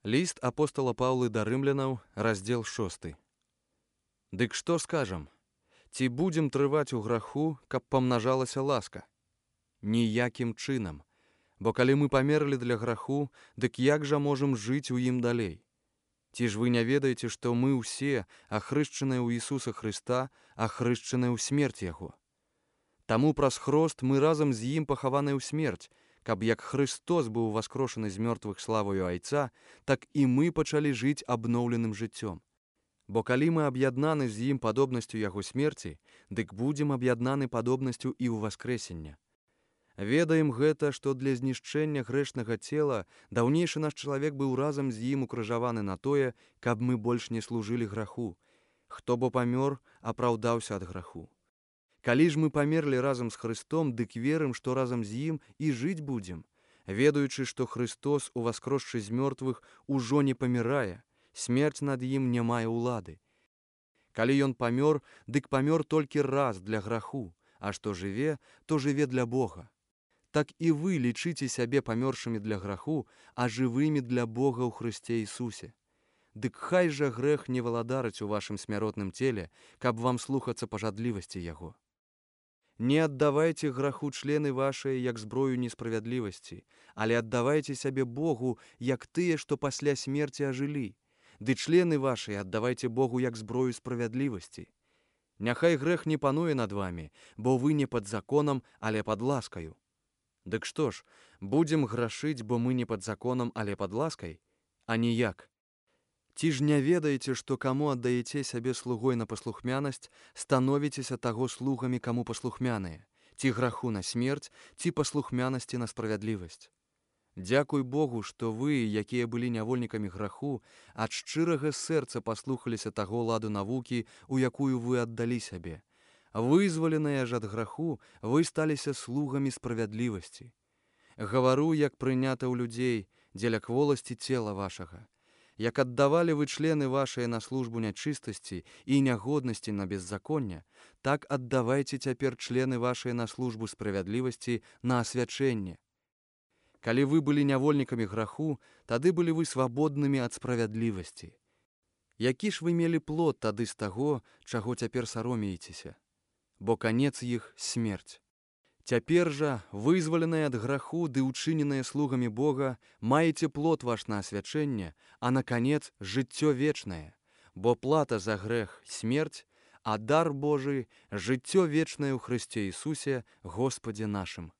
Ліст апостала Паўлы да рымлянаў, раздзел 6. Дык што скажам? Ці будзем трываць у граху, каб памнажалася ласка? Ніякім чынам. Бо калі мы памерлі для граху, дык як жа можам жыць у ім далей? Ці ж вы не ведаеце, што мы ўсе, ахрышчаныя ў Ісуса Хрыста, ахрышчаныя ў смерць Яго? Таму праз хрост мы разам з ім пахаваныя ў смерць, каб як Христос быў воскрошаны з мёртвых славою Айца, так і мы пачалі жыць абноўленым жыццём. Бо калі мы аб'яднаны з ім падобнасцю яго смерці, дык будзем аб'яднаны падобнасцю і ў воскрэсення. Ведаем гэта, што для знішчэння грэшнага цела даўнейшы наш чалавек быў разам з ім укрыжаваны на тое, каб мы больш не служылі граху. Хто бо памёр, апраўдаўся ад граху. Калі ж мы памерлі разам з Христом, дык верым, што разам з ім і жыць будзем, ведаючы, што Христос, уваскросшы з мёртвых, ужо не памірае, смерць над ім не мае ўлады. Калі ён памёр, дык памёр толькі раз для граху, а што жыве, то жыве для Бога. Так і вы лічыце сябе памёршымі для граху, а жывымі для Бога ў Хрысце Ісусе. Дык хай жа грэх не валадарыць у вашым смяротным целе, каб вам слухацца пажадлівасці яго. Не аддавайце граху члены вашыя як зброю несправядлівасці, але аддавайце сябе Богу, як тыя, што пасля смерці ажылі. Ды члены вашыя аддавайце Богу як зброю справядлівасці. Няхай грэх не пануе над вамі, бо вы не пад законам, але пад ласкаю. Дык што ж, будзем грашыць, бо мы не пад законам, але пад ласкай? А ніяк. Ці ж не ведаеце, што каму аддаеце сябе слугой на паслухмянасць, становіцеся таго слугамі, каму паслухмяныя, ці граху на смерць, ці паслухмянасці на справядлівасць. Дзякуй Богу, што вы, якія былі нявольнікамі граху, ад шчырага сэрца паслухаліся таго ладу навукі, у якую вы аддалі сябе. Вызваленыя ж ад граху, вы сталіся слугамі справядлівасці. Гавару, як прынята ў людзей, дзеля кволасці цела вашага. Як аддавалі вы члены вашыя на службу нячыстасці і нягоднасці на беззаконня, так аддавайце цяпер члены вашыя на службу справядлівасці на асвячэнне. Калі вы былі нявольнікамі граху, тады былі вы свабоднымі ад справядлівасці. Які ж вы мелі плод тады з таго, чаго цяпер саромеецеся? Бо канец іх смерць. Цяпер жа, вызваленыя ад граху ды ўчыненыя слугамі Бога, маеце плод ваш на асвячэнне, а на канец жыццё вечнае. Бо плата за грэх смерць, а дар Божы жыццё вечнае ў Хрысце Ісусе, Господзе нашым.